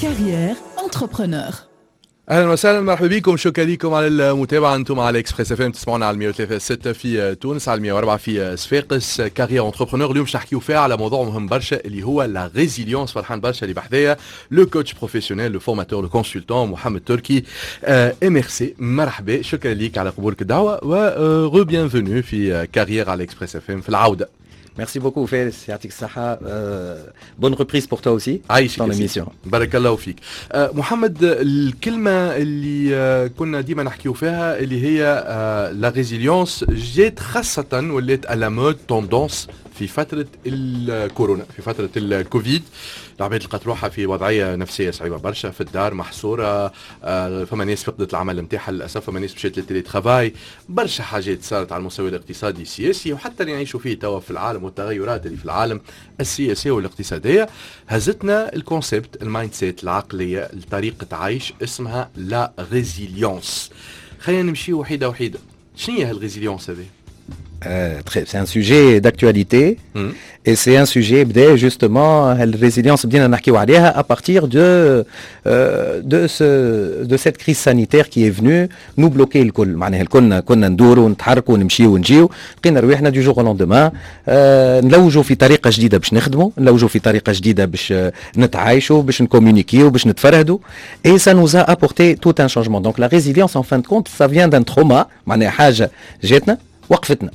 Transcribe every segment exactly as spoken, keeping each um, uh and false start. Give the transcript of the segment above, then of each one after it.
Carrière entrepreneur. اهلا وسهلا، مرحبا بكم، شكرا لكم على المتابعه. انتم على Express FM، تسمعونا على مية وثلاثة ستة في تونس، على مية وأربعة في صفاقس. Carrière entrepreneur اليوم باش نحكيو فيها على موضوع مهم برشا اللي هو la résilience. فرحان برشا اللي بحذايا le coach professionnel، le formateur، le consultant محمد تركي MRC. مرحبا، شكرا لك على قبولك الدعوة و re-bienvenue في Carrière على Express FM في العوده. Merci beaucoup فارس، يعطيك الصحة. Bonne reprise pour toi aussi. عايشك ton émission. بارك الله فيك. أه محمد، الكلمة اللي آه، كنا ديما نحكيو فيها اللي هي la résilience جات خاصة ولات à la mode، tendance في فترة الكورونا، في فترة الكوفيد. العباد لقات روحها في وضعية نفسية صعيبة برشا، في الدار محصوره، آه، فما ناس فقدت العمل نتاعها للاسف، فما ناس مشات لل télétravail، برشا حاجات صارت على المستوى الاقتصادي السياسي وحتى اللي نعيشوا فيه توا في العالم والتغيرات اللي في العالم السياسية والاقتصاديه. هزتنا ال concept، ال mindset، العقليه، طريقه عيش اسمها la résilience. خلينا نمشي وحيده وحيده، شنو هي هال résilience هذه؟ Euh, c'est un sujet d'actualité mmh. et c'est un sujet بدأ justement ال résilience بدينا نحكيو عليها à partir de euh, de ce de cette crise sanitaire qui est venue nous bloquer الكل. معناها الكل كنا ندوروا ونتحركوا ونمشيو ونجيو، لقينا رواحنا du jour au lendemain آه نلوجوا في طريقه جديدة باش نخدموا، نلوجوا في طريقه جديدة باش نتعايشوا، باش نكومونيكيو، باش نتفرهدوا، et ça nous a apporté tout un changement. Donc la résilience, en fin de compte, ça vient d'un trauma، معناها حاجة جاتنا وقفتنا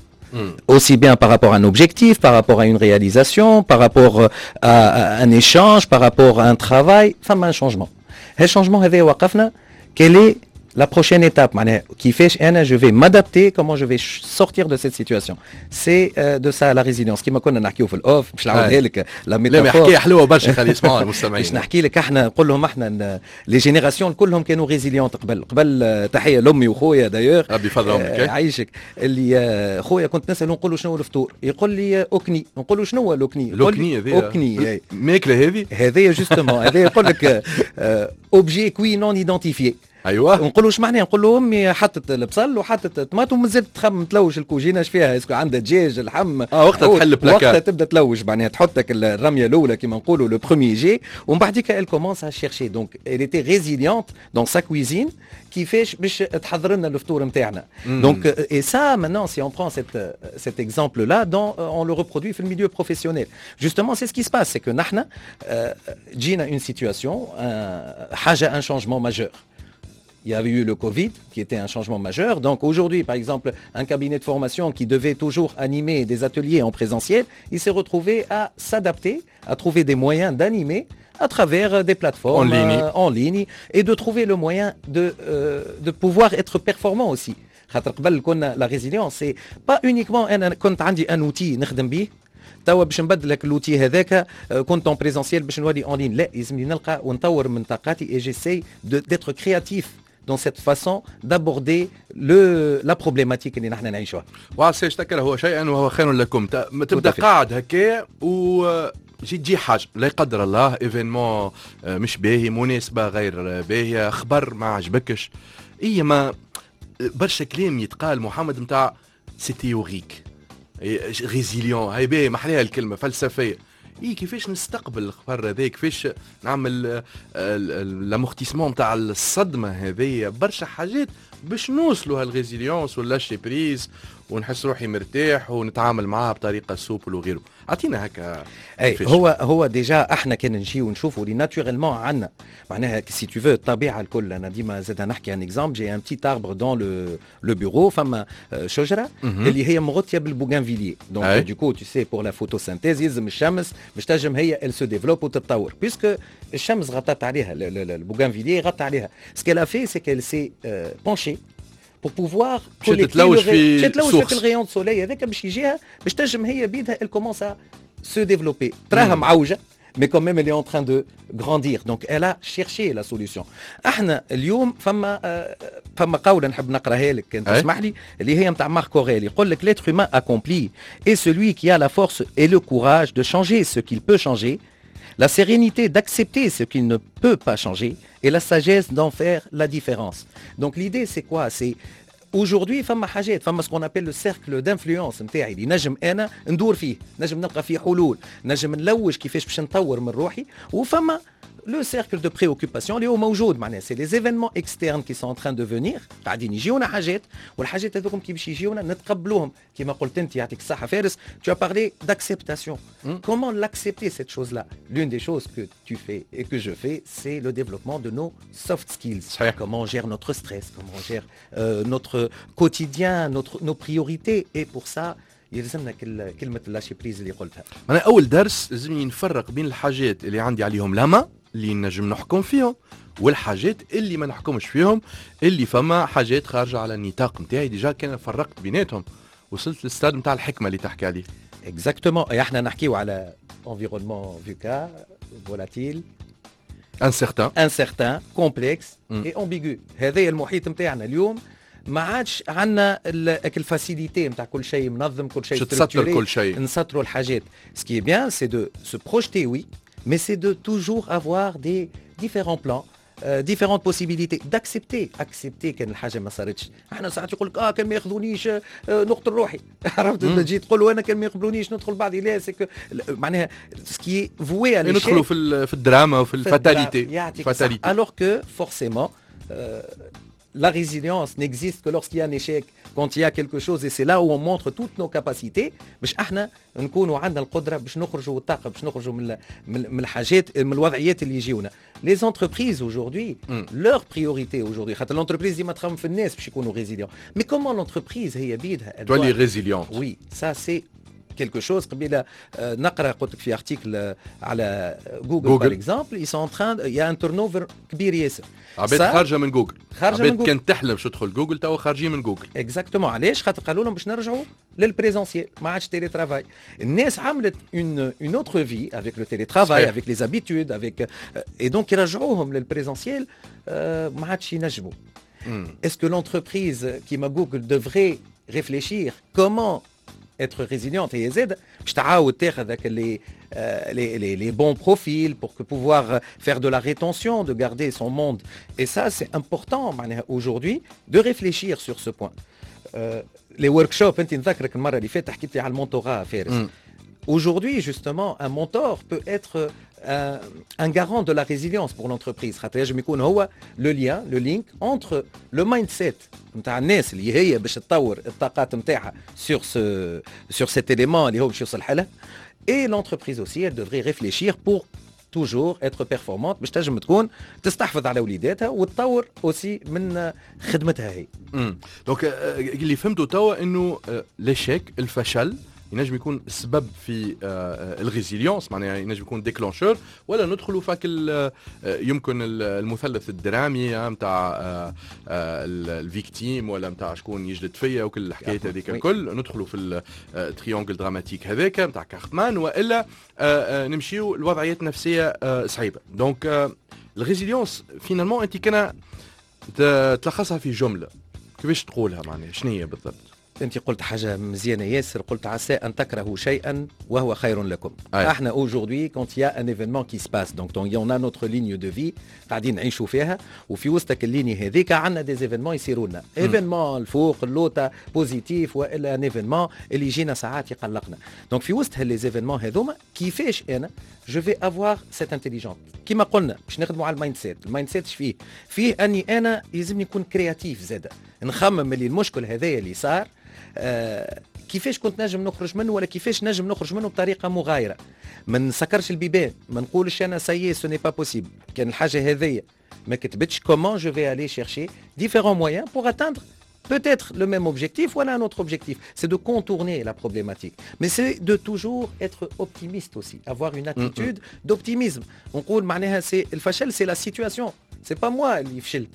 aussi bien par rapport à un objectif, par rapport à une réalisation, par rapport à un échange, par rapport à un travail, فما un changement. هال changement هذا وقفنا، quelle est la prochaine étape؟ معناها كيفاش انا je vais m'adapter؟ Comment je vais sortir de cette situation؟ C'est euh, de ça la résilience. كيما كنا نحكيو في ال off، باش نعاودها لك la métaphore. لا، حكاية حلوة برشا، خلي يسمعوها المستمعين. باش نحكي لك، احنا نقول لهم احنا les générations كلهم كانوا résilientes قبل قبل. تحية لامي وخويا d'ailleurs. ربي يفضلهم لك. عايشك. اللي خويا كنت نساله، نقول له شنو الفطور؟ يقول لي اوكني. نقول له شنو هو الاوكني؟ الاوكني هذه؟ اوكني. ماكله هذه؟ هذه justement، هذه يقول لك objet cuit non identifié. ايوه نقول له ايش معناه؟ نقول له امي حطت البصل وحطت الطماطم ومازالت تخمم، تلوج الكوجينه اش فيها، est-ce que عندها دجاج، لحم. اه، وقتها تحل بلاكار. وقتها تبدا تلوج، معناها تحطك الرمية الاولى كيما نقولوا، le premier jet، ومن بعديك elle commence à chercher. Donc elle était résiliente dans sa cuisine، كيفاش باش تحضر لنا الفطور نتاعنا. Donc et ça maintenant, si on prend cette cet exemple là dans on le reproduit في ال milieu professionnel, justement, c'est ce qui se passe, c'est que نحن جينا une situation حاجه، un changement majeur. Il y avait eu le Covid, qui était un changement majeur. Donc aujourd'hui, par exemple, un cabinet de formation qui devait toujours animer des ateliers en présentiel, il s'est retrouvé à s'adapter, à trouver des moyens d'animer à travers des plateformes en ligne, euh, en ligne et de trouver le moyen de, euh, de pouvoir être performant aussi. خاطر قبل كنا la résilience, c'est pas uniquement انا كنت عندي un outil نخدم به، توا باش نبدل لك l'outil هذاك، كنت en présentiel باش نولي en ligne. لا، لازمني نلقى ونطور من طاقاتي et j'essaie d'être créatif dans cette façon d'aborder le la problématique اللي نحن نعيشوها. وعسى تكرهوا شيئا وهو خير لكم. تبدا قاعد هكا و جي تجي حاجه، لا يقدر الله، événement مش باهي، مناسبة غير باهيه، خبر ما عجبكش، اي ما برشا كلام يتقال محمد نتاع c'est théorique، résilient، هاي باهي، ما احلاها الكلمه، فلسفيه. اي كيفاش نستقبل الخبر هذا؟ كيفاش نعمل l'amortissement نتاع الصدمة هذه؟ برشا حاجات باش نوصلوا هال résilience ولا lâcher prise ونحس روحي مرتاح ونتعامل معاها بطريقة souple وغيره. اعطينا هكا. اي، هو هو déjà احنا كان نجيو ونشوفوا اللي naturellement عندنا، معناها si tu veux الطبيعة الكل. انا ديما زاد نحكي un exemple: j'ai un petit arbre dans le le bureau، فما شجرة اللي هي مغطيه بال bougainvillier. Donc du coup, tu sais, pour la photosynthèse يلزم الشمس باش تنجم هي elle se développe وتتطور. Puisque الشمس غطت عليها، ال bougainvillier غطى عليها، ce qu'elle a fait, c'est qu'elle s'est penchée pour pouvoir تلوج في تلوج في ال rayon soleil هذاك باش يجيها، باش تنجم هي بيدها elle commence à se développer. تراها معوجة mais quand même elle est en train de grandir. Donc elle a cherché la solution. احنا اليوم فما فما قولة نحب نقراها لك كان تسمح لي، اللي هي نتاع Marc Aurèle، يقول لك: l'être humain accompli est celui qui a la force et le courage de changer ce qu'il peut changer, la sérénité d'accepter ce qu'il ne peut pas changer et la sagesse d'en faire la différence. Donc l'idée, c'est quoi؟ C'est Aujourd'hui فما حاجات، فما ce qu'on appelle le cercle d'influence نتاعي اللي نجم انا ندور فيه، نجم نلقى فيه حلول، نجم نلوج كيفاش باش نطور من روحي، وفما le cercle de préoccupation اللي هو موجود، معناها c'est les événements externes qui sont en train de venir. قاعدين يجيونا حاجات، والحاجات هذوكم كي باش يجيونا نتقبلوهم. كيما قلت انت، يعطيك الصحه فارس، tu as parlé d'acceptation. Comment l'accepter, cette chose là? L'une des choses que tu fais et que je fais, c'est le développement de nos soft skills. صحيح. Comment on gère notre stress, comment on gère euh, notre quotidien, notre, nos priorités. Et pour ça يلزمنا كلمة lâcher prise اللي قلتها. أنا أول درس لازمني نفرق بين الحاجات اللي عندي عليهم la main، اللي نجم نحكم فيهم، والحاجات اللي ما نحكمش فيهم، اللي فما حاجات خارجه على النطاق نتاعي. Déjà كان فرقت بيناتهم وصلت للستاد نتاع الحكمه اللي تحكي عليه. Exactement. احنا نحكيو على environnement VUCA, volatile, incertain, incertain, complexe et ambigu. هذا المحيط نتاعنا اليوم. ما عادش عندنا ال facilité نتاع كل شيء منظم، كل شيء تسطر كل شيء. نسطروا الحاجات. Ce qui est bien, c'est de se projeter, oui, mais c'est de toujours avoir des différents plans, euh, différentes possibilités, d'accepter, accepter كان الحاجه ما صارتش. احنا ساعات يقول لك اه كان ما ياخذونيش آه نقتل روحي، عرفت؟ تجي تقول له انا كان ما يقبلونيش ندخل بعضي. لا، c'est que معناها ce qui est voué. ندخلوا في في الدراما وفي ال fatalité. Fatalité, alors que forcément la résilience n'existe que lorsqu'il y a un échec, quand il y a quelque chose, et c'est là où on montre toutes nos capacités. باش احنا نكونوا عندنا القدره باش نخرجوا، الطاقه باش نخرجوا من من الحاجات، من الوضعيات اللي يجيونا. Les entreprises aujourd'hui, mm. leur priorité aujourd'hui، خاطر l'entreprise ديما تخمم في الناس باش يكونوا résilients. Mais comment l'entreprise هي بيدها تولي résiliente? Oui, ça c'est quelque chose. قبيله نقرا، قلت لك، في article على Google, par exemple, ils sont en train, il y a un turnover كبير ياسر. عباد خارجه من جوجل. خارجه من جوجل. كانت تحلم باش تدخل جوجل، توا خارجين من جوجل. Exactement. علاش؟ خاطر قالوا لهم باش نرجعوا لل présentiel، ما عادش télétravail. الناس عملت une une autre vie avec le télétravail, avec les habitudes, avec, et donc يرجعوهم لل présentiel ما عادش ينجموا. Est-ce que l'entreprise كيما Google devrait réfléchir comment être résiliente هي زاد باش تعاود تاخذ les les, les, les bons profils pour que pouvoir faire de la rétention, de garder son monde? Et ça, c'est important معناها aujourd'hui de réfléchir sur ce point. Euh, les workshops, انت نذكرك المره اللي فاتت حكيت لي على ال mentorat فارس. Aujourd'hui, justement, un mentor peut être un, un garant de la résilience pour l'entreprise. خاطر ينجم يكون هو le lien, le link entre le mindset نتاع الناس اللي هي باش تطور الطاقات نتاعها sur ce sur cet élément اللي هو باش يوصل لها, et l'entreprise aussi, elle devrait réfléchir pour toujours être performante، باش تنجم تكون تستحفظ على وليداتها وتطور aussi من خدمتها هي. Donc اللي فهمته توا انه l'échec، الفشل، ينجم يكون سبب في ال résilience، معناها ينجم يكون déclencheur، ولا ندخلوا فاك آه، يمكن المثلث الدرامي نتاع ال victime ولا نتاع شكون يجلد فيا وكل الحكايات هذيك الكل، ندخلوا في ال triangle dramatique هذاك نتاع كاربمان، والا آه، آه، نمشيو لوضعيات نفسيه صعيبه. Donc ال résilience finalement، انت كان تلخصها في جمله كيفاش تقولها؟ معناها شنو هي بالضبط؟ انت قلت حاجه مزيانه ياسر، قلت عسى ان تكرهوا شيئا وهو خير لكم. أي. احنا aujourd'hui, quand il y a un événement qui se passe, donc on a notre ligne de vie قاعدين نعيشوا فيها، وفي وسط ال ligne هذيك عندنا des événements يصيروا لنا، événement الفوق اللوطه positif والا un événement اللي يجينا ساعات يقلقنا. Donc في وسط les événements هذوما كيفاش انا je vais avoir cette intelligence؟ كيما قلنا باش نخدموا على ال mindset. ال mindset فيه فيه اني انا يلزمني نكون créatif زاده، نخمم اللي المشكل هذايا اللي صار آه كيفاش كنت نجم نخرج منه، ولا كيفاش نجم نخرج منه بطريقه مغايره. ما نسكرش البيبان، ما نقولش انا ça y est, ce n'est pas possible. كان الحاجه هذيا ما كتبتش، comment je vais aller chercher différents moyens pour atteindre peut-être le même objectif ou un autre objectif? C'est de contourner la problématique. Mais c'est de toujours être optimiste aussi, avoir une attitude mm -hmm. d'optimisme. نقول معناها c'est الفشل, c'est la situation. C'est pas moi اللي فشلت.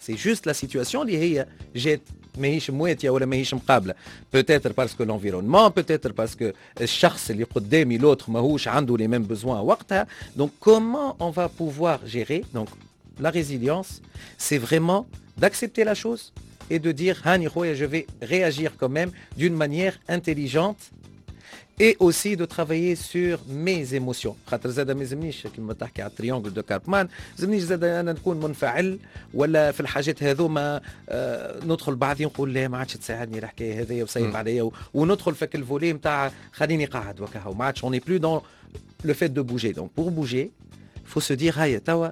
C'est juste la situation اللي هي جات ماهيش مواتيه ولا ماهيش مقابله، peut-être parce que l'environnement, peut-être parce que الشخص اللي قدامي, l'autre، ماهوش عنده les mêmes besoins وقتها. Donc comment on va pouvoir gérer? Donc la résilience, c'est vraiment d'accepter la chose et de dire هاني خويا, je vais réagir quand même d'une manière intelligente. et aussi de travailler sur mes émotions. خاطر زاد ما يلزمنيش كيما تحكي على ال triangle de Karpman، يلزمنيش زاد انا نكون منفعل ولا في الحاجات هذوما آه ندخل بعضي نقول لا ما عادش تساعدني الحكاية هذيا وسيب عليا، وندخل في ال volet نتاع خليني قاعد وكهو، ما عادش on est plus dans le fait de bouger. donc pour bouger faut se dire هيا توا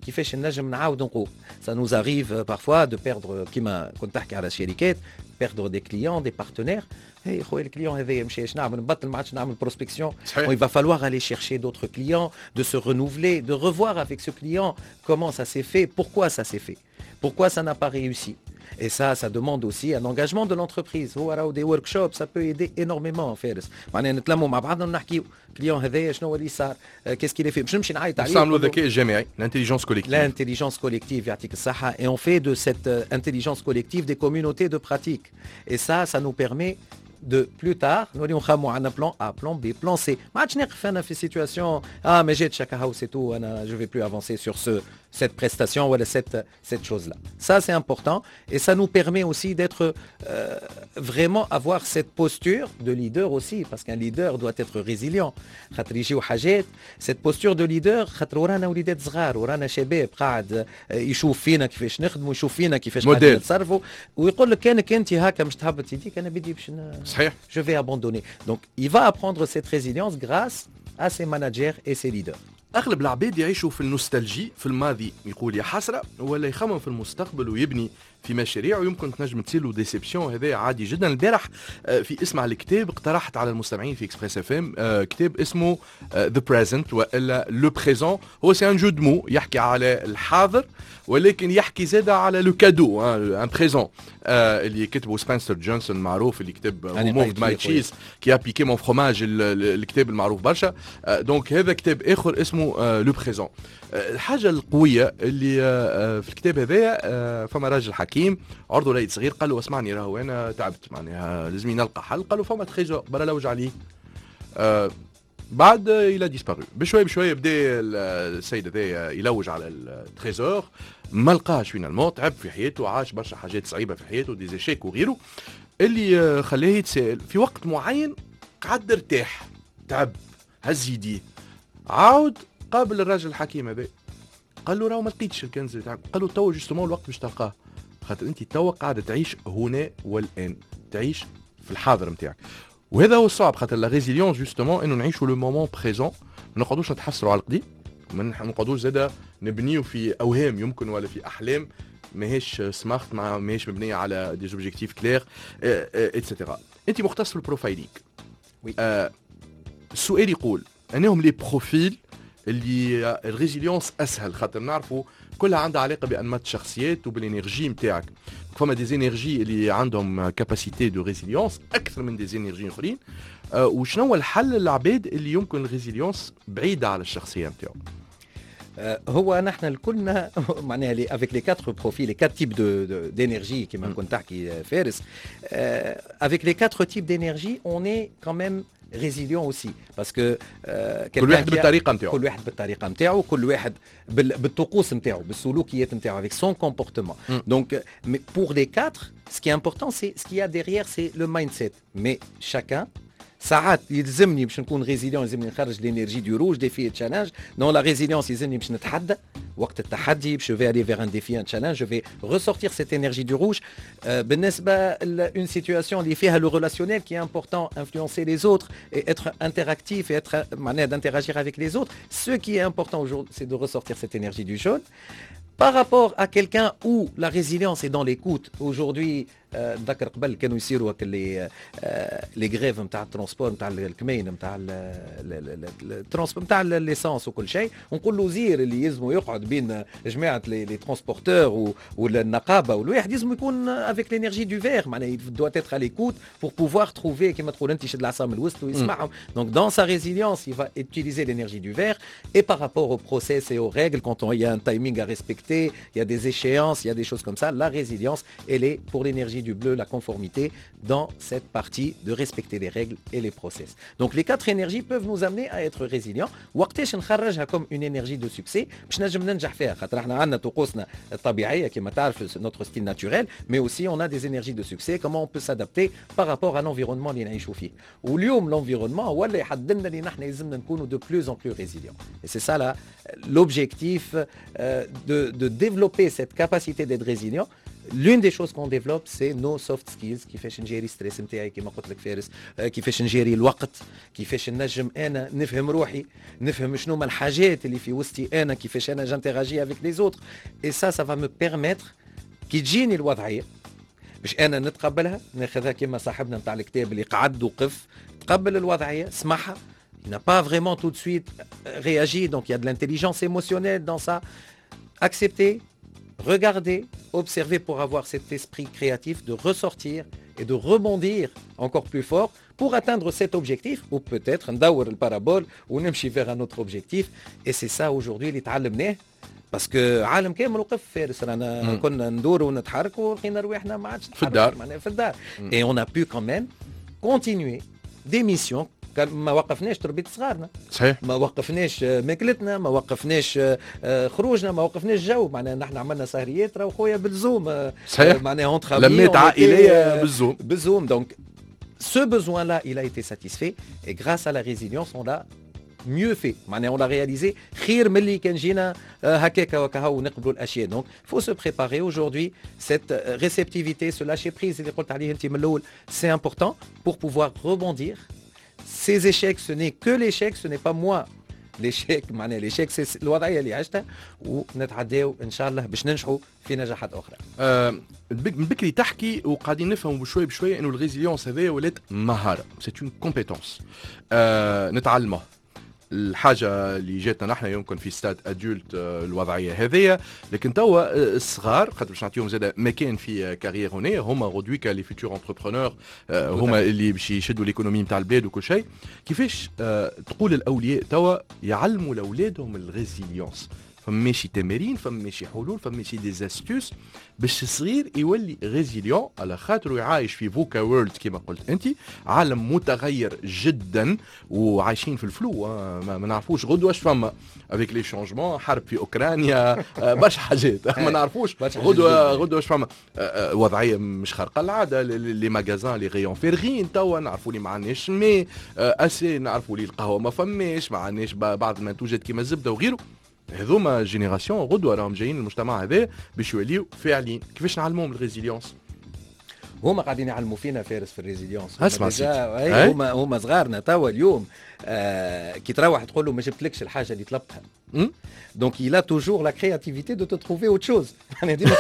كيفاش نجم نعاود نقوم. ça nous arrive parfois de perdre، كيما كنت تحكي على شركات، perdre des clients، des partenaires. هي خويا ال client هذايا مشى، اش نعمل؟ نبطل؟ ما عادش نعمل prospection؟ il va falloir aller chercher d'autres clients، de se renouveler، de revoir avec ce client comment ça s'est fait، pourquoi ça s'est fait، pourquoi ça n'a pas réussi. Et ça, ça demande aussi un engagement de l'entreprise. هو des workshops، ça peut aider énormément فارس. معناها نتلموا مع بعضنا ونحكيو client هذايا شنو اللي صار، qu'est-ce qu'il a fait، باش نمشي نعيط عليه. نستعملوا الذكاء الجماعي، l'intelligence collective. l'intelligence collective، يعطيك الصحة. Et on fait de cette intelligence collective des communautés de pratique. Et ça, ça nous permet de plus tard نوليو نخمو عندنا plan A، plan B، plan C. ما عادش نقف انا في situation اه ما جاتش هكا، c'est tout، انا je vais plus avancer sur ce cette prestation ou cette cette chose là. ça c'est important et ça nous permet aussi d'être euh, vraiment avoir cette posture de leader aussi، parce qu'un leader doit être résilient. خاطر يجيو حاجات، cette posture de leader، خاطر ورانا وليدات صغار، ورانا شباب قاعد يشوف فينا كيفاش نخدموا، يشوف فينا كيفاش قاعدين نتصرفوا، ويقول لك كانك انت هكا مش تهبط يديك، انا بدي باش صحيح je vais abandonner. Donc il va apprendre cette résilience grâce à ses managers et ses leaders. اغلب العباد يعيشوا في ال nostalgie، في الماضي يقول يا حسره، ولا يخمم في المستقبل ويبني في مشاريع ويمكن تنجم تصير له déception، هذا عادي جدا. البارح آه، في اسمع الكتاب اقترحت على المستمعين في Express FM كتاب اسمه The Present والا Le Présent. هو c'est un jeu de mots، يحكي على الحاضر ولكن يحكي زاد على le cadeau، un présent، اللي كتبه سبنسر جونسون معروف، اللي كتب Moved My Cheese، Qui a piqué mon fromage، الكتاب المعروف برشا. donc هذا كتاب اخر اسمه Le Présent. الحاجة القوية اللي في الكتاب هذايا، فما راجل حكيم عرضه وليد صغير، قال له اسمعني، راهو انا تعبت، معناها لازم نلقى حل. قال له فما trésor، برا لوج عليه. آه بعد il a disparu. بشوي بشوي بدا السيد هذا يلوج على ال trésor، ما لقاش. finalement تعب في حياته، عاش برشا حاجات صعيبة في حياته، des échecs وغيره، اللي خلاه يتساءل. في وقت معين قعد ارتاح، تعب، هز يديه، عاود قابل الراجل الحكيم هذا، قال له راهو ما لقيتش الكنز اللي. قال له تو justement الوقت باش تلقاه، خاطر انت توا قاعد تعيش هنا والان، تعيش في الحاضر نتاعك. وهذا هو الصعب، خاطر la résilience justement انه نعيشوا le moment présent، ما نقعدوش نتحسروا على القديم، ما نقعدوش زاده نبنيو في اوهام يمكن ولا في احلام ماهيش smart، مع ماهيش مبنية على des objectifs clairs et cetera. انت مختص في ال profiling. oui. آه السؤال يقول انهم les profils اللي ال résilience اسهل، خاطر نعرفوا كلها عندها علاقة بانماط الشخصيات وبال énergie نتاعك. فما des énergies اللي عندهم capacité de résilience اكثر من des énergies اخرين. أه وشنو هو الحل للعباد اللي يمكن ال résilience بعيدة على الشخصية نتاعو؟ هو نحن الكلنا معناها les avec les quatre profils، les quatre types de d'énergie، كما كنت تحكي فارس، avec les quatre types d'énergie on est quand même résilient aussi، parce que كل واحد بالطريقة نتاعو. كل واحد بالطريقة نتاعو، كل واحد بالطقوس نتاعو، بالسلوكيات نتاعو، avec son comportement. donc mais pour les quatre، ce qui est important c'est ce qu'il y a derrière، c'est le mindset. mais chacun، ساعات يلزمني باش نكون résilient يلزمني نخرج l'énergie du rouge، défi challenge. dans la résilience يلزمني باش نتحدى، وقت التحدي باش vais aller vers un défi، un challenge، je vais ressortir cette énergie du rouge. بالنسبة une situation اللي فيها le relationnel qui est important، influencer les autres et être interactif et être معناها d'interagir avec les autres، ce qui est important aujourd'hui c'est de ressortir cette énergie du jaune. par rapport à quelqu'un où la résilience est dans l'écoute، aujourd'hui نذكر قبل كانوا يصيروا les les grèves نتاع ال transport، نتاع الكمين، نتاع ال transport، نتاع l'essence وكل شيء، ونقول له وزير اللي يلزموا يقعد بين جماعة les transporteurs والنقابه، والواحد يلزم يكون avec l'énergie du vert، معناها doit être à l'écoute pour pouvoir trouver، كيما تقول انت يشد العصا من الوسط ويسمعهم. donc dans sa résilience il va utiliser l'énergie du vert. et par rapport au process et aux règles، quand on, il y a un timing à respecter، il y a des échéances، il y a des choses comme ça، la résilience elle est pour l'énergie l'énergie du bleu, la conformité dans cette partie de respecter les règles et les process. Donc les quatre énergies peuvent nous amener à être résilients. وقتاش نخرجها comme une énergie de succès باش نجم ننجح فيها؟ خاطر احنا عندنا طقوسنا الطبيعيه كما تعرف, notre style naturel, mais aussi on a des énergies de succès, comment on peut s'adapter par rapport à l'environnement اللي نعيشوا فيه. واليوم l'environnement هو اللي يحدد لنا اللي نحن يلزمنا نكونوا de plus en plus résilients. Et c'est ça là l'objectif euh, de, de développer cette capacité d'être résilient. L'une des choses qu'on développe, c'est nos soft skills: كيفاش نجيري stress نتاعي كيما قلت لك فارس, كيفاش نجيري الوقت, كيفاش نجم انا نفهم روحي, نفهم شنو هما الحاجات اللي في وسطي انا, كيفاش انا j'interagis avec les autres. Et ça, ça va me permettre كي تجيني الوضعيه باش انا نتقبلها, ناخذها كما صاحبنا نتاع الكتاب اللي قعد وقف, تقبل الوضعيه, سمعها. Il n'a pas vraiment tout de suite réagi, donc il y a de l'intelligence émotionnelle dans ça. Accepter, regarder, observer pour avoir cet esprit créatif de ressortir et de rebondir encore plus fort pour atteindre cet objectif ou peut-être ندور ال parabole ونمشي vers un autre objectif. Et c'est ça aujourd'hui اللي تعلمناه parce que عالم كامل وقف فارس, رانا كنا ندوروا ونتحركوا ولقينا رواحنا ما عادش في الدار. في الدار, et on a pu quand même continuer des missions. ما وقفناش تربيه صغارنا. صحيح. ما وقفناش ماكلتنا, ما وقفناش آه، خروجنا, ما وقفناش جو. معناها نحن عملنا سهريات راهو خويا بال Zoom. صحيح. معناها entre لمات عائليه بال Zoom. بال Zoom. Donc ce besoin-là, il a été satisfait et grâce à la résilience, on l'a mieux fait. معناها on l'a réalisé خير من اللي كان جينا هكاك وكهو ونقبلوا الاشياء. Donc faut se préparer aujourd'hui, cette réceptivité, ce lâcher prise اللي قلت عليه انت من الاول, c'est important pour pouvoir rebondir. Ces échecs, ce n'est que l'échec, ce n'est pas moi l'échec. معناها l'échec, c'est الوضعيه اللي عشتها ونتعداو ان شاء الله باش ننجحوا في نجاحات اخرى. آه من بكري تحكي وقاعدين نفهموا بشوي بشوي انه ال résilience هذايا ولات مهاره, c'est une compétence آه نتعلمها. الحاجة اللي جاتنا نحن يمكن في stade adulte الوضعية هذيا, لكن توا الصغار خاطر باش نعطيهم زاد مكان في carrière هنا, هما غدويكا les futurs entrepreneurs, هما اللي باش يشدوا l'économie نتاع البلاد وكل شيء. كيفاش تقول الاولياء توا يعلموا لاولادهم ال résilience؟ فماشي تمارين, فماشي حلول, فماشي des astuces باش الصغير يولي résilient على خاطر يعايش في VUCA world كما قلت انت, عالم متغير جدا وعايشين في ال flou, ما, ما نعرفوش غدوه اش فما avec les changements, حرب في اوكرانيا, برشا حاجات ما نعرفوش غدوه غدوه اش فما, وضعيه مش خارقه العاده, les magasins, les rayons فارغين. توا نعرفوا لي ما عندناش mais assez, نعرفوا لي القهوه ما فماش, ما عندناش بعض المنتوجات كيما الزبده وغيره. هذوما génération غدوه راهم جايين المجتمع هذا باش يوليو فاعلين. كيفاش نعلموهم ال résilience؟ هما قاعدين يعلموا فينا فارس في ال résilience. اسمع. هما هما صغارنا توا اليوم آه كي تروح تقول له ما جبتلكش الحاجه اللي طلبتها, donc il a toujours la créativité de te trouver autre chose. معناها ديما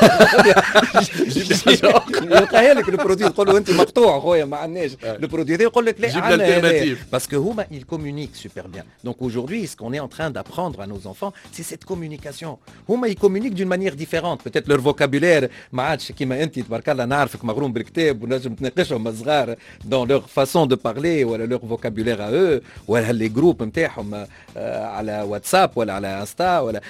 يلقاها لك ال produit. تقول له انت مقطوع خويا, ما عندناش ال produit هذا, يقول لك لا عندنا, parce que هما ils communiquent super bien. Donc aujourd'hui, ce qu'on est en train d'apprendre à nos enfants, c'est cette communication. هما ils communiquent d'une manière différente, peut-être leur vocabulaire ما عادش كيما انت تبارك الله, نعرفك مغروم بالكتاب ونجم تناقشهم الصغار dans leur façon de parler ولا leur vocabulaire à eux ولا les groupes نتاعهم على واتساب ولا على انستا ولا,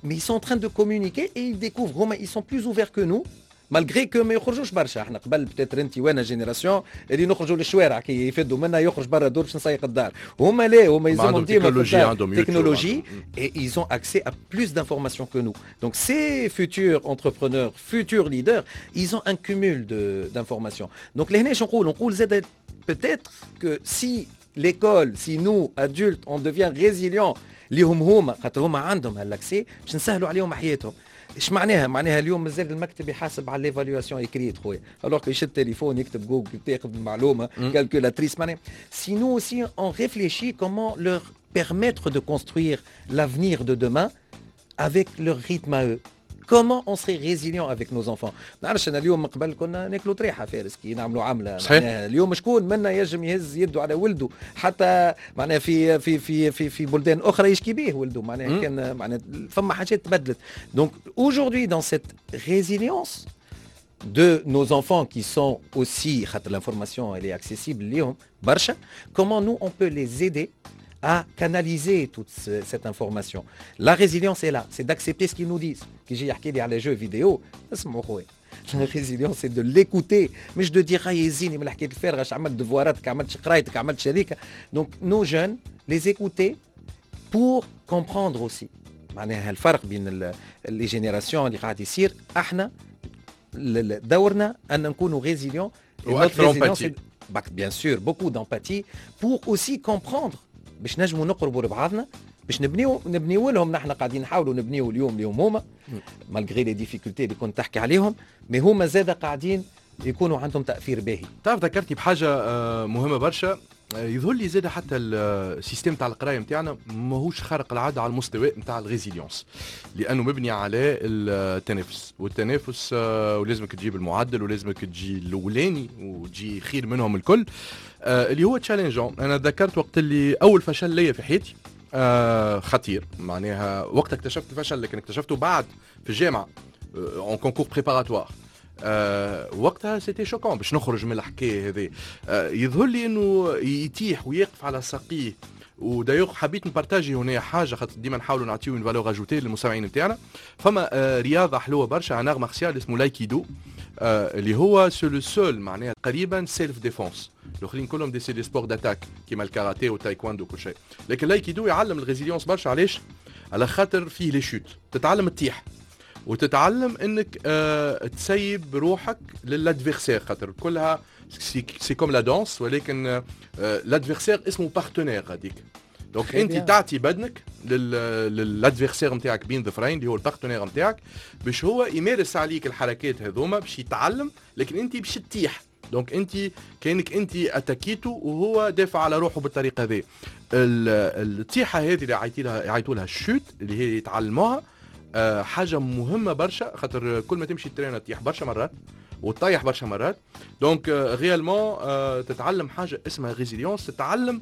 mais ils sont en train de communiquer et ils découvrent. هما ils sont plus ouverts que nous, malgré que ما يخرجوش برشا. احنا قبل peut-être انت وانا génération اللي نخرجوا للشوارع, كي يفدوا منا يخرج برا دور باش نسيق الدار. هما لا, هما يلزمهم ديما في technologie et ils ont accès à plus d'informations que nous. Donc ces futurs entrepreneurs, futurs leaders, ils ont un cumul de d'informations. Donc لهنا نقول نقول زاد peut-être que si l'école, si nous adultes, on devient résilients ليهم هما, خاطر هما عندهم هال accès, باش نسهلوا عليهم حياتهم. ايش معناها؟ معناها اليوم مازال المكتب يحاسب على l'évaluation écrite خويا, alors que يشد تليفون يكتب جوجل تاخذ المعلومه, calculatrice. معناها si nous aussi on réfléchit comment leur permettre de construire l'avenir de demain avec leur rythme à eux, comment on serait résilient avec nos enfants؟ نعرفش انا اليوم, قبل كنا ناكلوا طريحه فارس كي نعملوا عمله. صحيح. اليوم شكون منا يجم يهز يده على ولده؟ حتى معناها في في في في في بلدان اخرى يشكي به ولده. معناها كان معناها فما حاجات تبدلت. Donc aujourd'hui, dans cette résilience de nos enfants qui sont aussi, l'information elle est accessible ليهم برشا, comment nous on peut les aider à canaliser toute ce, cette information؟ La résilience est là, c'est d'accepter ce qu'ils nous disent. كي يجي يحكي لي على jeux vidéo, اسمعوا خويا. La résilience, c'est de l'écouter, مش de dire هاي يزيني من الحكاية الفارغه، اش عملت devoir اتك، عملت قرايتك، عملت هذيك. donc nos jeunes, les écouter pour comprendre aussi معناها الفرق بين les générations اللي قاعد يصير. احنا دورنا ان نكونوا résilients. واكثر empathie. bien sûr, beaucoup d'empathie pour aussi comprendre باش نجموا نقربوا لبعضنا، باش نبنيو نبنيو لهم. نحن قاعدين نحاولوا نبنيو اليوم اليوم هما malgré les difficultés اللي كنت تحكي عليهم، mais هما زاد قاعدين يكونوا عندهم تاثير باهي. تعرف، ذكرتني بحاجة آه، مهمة برشا. آه، يظهر لي زاد حتى ال système تاع القراية نتاعنا ماهوش خارق العادة على المستوى نتاع ال résilience، لانه مبني على التنافس والتنافس، آه، ولازمك تجيب المعدل ولازمك تجي الاولاني وتجي خير منهم الكل، اللي هو challengeant. انا ذكرت وقت اللي اول فشل ليا في حياتي آه خطير، معناها وقت اكتشفت الفشل، لكن اكتشفته بعد في الجامعة en concours préparatoire. آه وقتها c'était choquant باش نخرج من الحكاية هذه. آه يظهر لي انه يتيح ويقف على ساقيه. و d'ailleurs حبيت ن partager هنا حاجه، خاطر ديما نحاولوا نعطيو une valeur ajoutée للمستمعين نتاعنا. فما آه رياضة حلوة برشا، un art martial اسمه لايكيدو، آه اللي هو c'est le seul معناها تقريبا self-défense. الاخرين كلهم des c'est des sports d'attaque كيما الكاراتيه والتايكواندو وكل شيء، لكن لايكيدو يعلم ال résilience برشا. علاش؟ على خاطر فيه les chutes، تتعلم تطيح وتتعلم انك آه تسيب روحك لل adversaire، خاطر كلها c'est comme la danse، ولكن آه l'adversaire اسمه partenaire هذيك. donc انت تعطي بدنك لل adversaire نتاعك بين ظفرين، اللي هو ال partenaire نتاعك، باش هو يمارس عليك الحركات هذوما باش يتعلم، لكن انت باش تطيح. donc انت كانك انت attaquيتو وهو دافع على روحه بالطريقة هذه. الطيحه هذه اللي عيطوا لها يعيطوا لها ال chute، اللي هي يتعلموها، آه، حاجة مهمة برشا، خاطر كل ما تمشي الترين تطيح برشا مرات وتطيح برشا مرات. donc réellement تتعلم حاجة اسمها résilience، تتعلم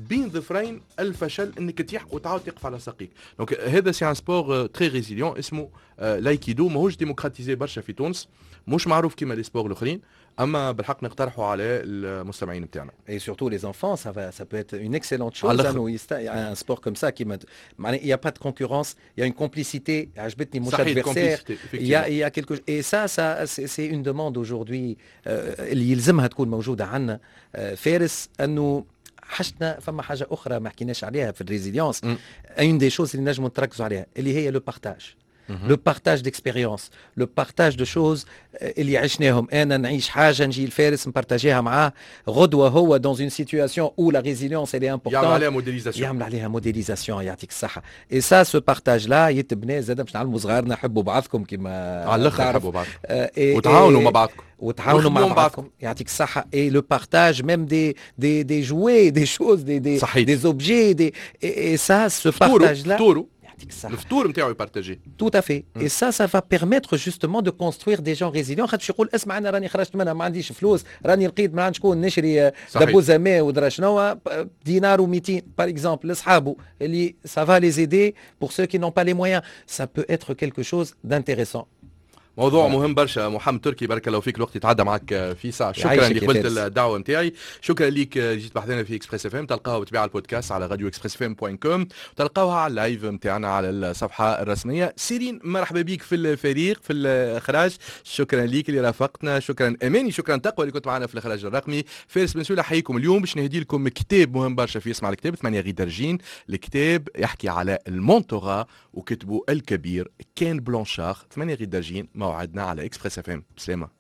بين ظفرين الفشل انك تطيح وتعاود تقف على ساقيك. donc هذا c'est un sport très résilient اسمه لايكيدو، ماهوش démocratisé برشا في تونس، مش معروف كيما les sports الاخرين، اما بالحق نقترحوا على المستمعين بتاعنا. Et surtout les enfants, ça va, ça peut être une excellente chose. Un sport comme ça qui il n'y a pas de concurrence, il y a une complicité. عجبتني مش adversaire. Il y a il y a quelque et ça ça c'est une demande aujourd'hui اللي يلزمها تكون موجودة عندنا فارس، انه حاجتنا فما حاجة اخرى ما حكيناش عليها في ال résilience، une des choses اللي نجموا نتركزوا عليها اللي هي le partage، le partage d'expériences، le partage de choses اللي عشناهم. انا نعيش حاجه، نجي الفارس ن partager ها معاه، غدوه هو dans une situation où la résilience elle est importante يعمل عليها modélisation. يعمل عليها modélisation، يعطيك الصحه. et ça، ce partage-là يتبنى زاد باش نعلموا صغارنا حبوا بعضكم كيما على الاخر، حبوا بعضكم وتعاونوا مع بعضكم. وتعاونوا مع بعضكم، يعطيك الصحة. et le partage même des des des jouets، des choses، des des صحيح. des objets، des et ça، ce partage-là. فطورو. يعطيك الصحة. الفطور نتاعو ي partager. Tout à fait. Et ça, ça va permettre justement de construire des gens résilients. خاطر باش يقول اسمع، انا راني خرجت منها، ما عنديش فلوس، راني لقيت ما عند شكون نشري دبوزه ماء ودرا شنو دينار وميتين par exemple لاصحابه، اللي ça va les aider pour ceux qui n'ont pas les moyens. Ça peut être quelque chose d'intéressant. موضوع مهم برشا. محمد تركي، بارك الله فيك، الوقت يتعدى معك في ساعة. شكرا اللي قبلت الدعوة نتاعي، شكرا ليك جيت بحذنا في Express FM. تلقاها بطبيعة البودكاست على radio Express FM point com، تلقاوها على ال live نتاعنا على الصفحة الرسميه. سيرين، مرحبا بك في الفريق في الاخراج، شكرا ليك اللي رافقتنا، شكرا اماني، شكرا تقوى اللي كنت معنا في الاخراج الرقمي. فارس بن سولة حييكم. اليوم باش نهدي لكم كتاب مهم برشا في اسمع الكتاب، ثمانية غير درجين. الكتاب يحكي على ال mentorat وكتبه الكبير كين بلانشار. ثمانية غير درجين موعدنا على Express FM. بسلامه.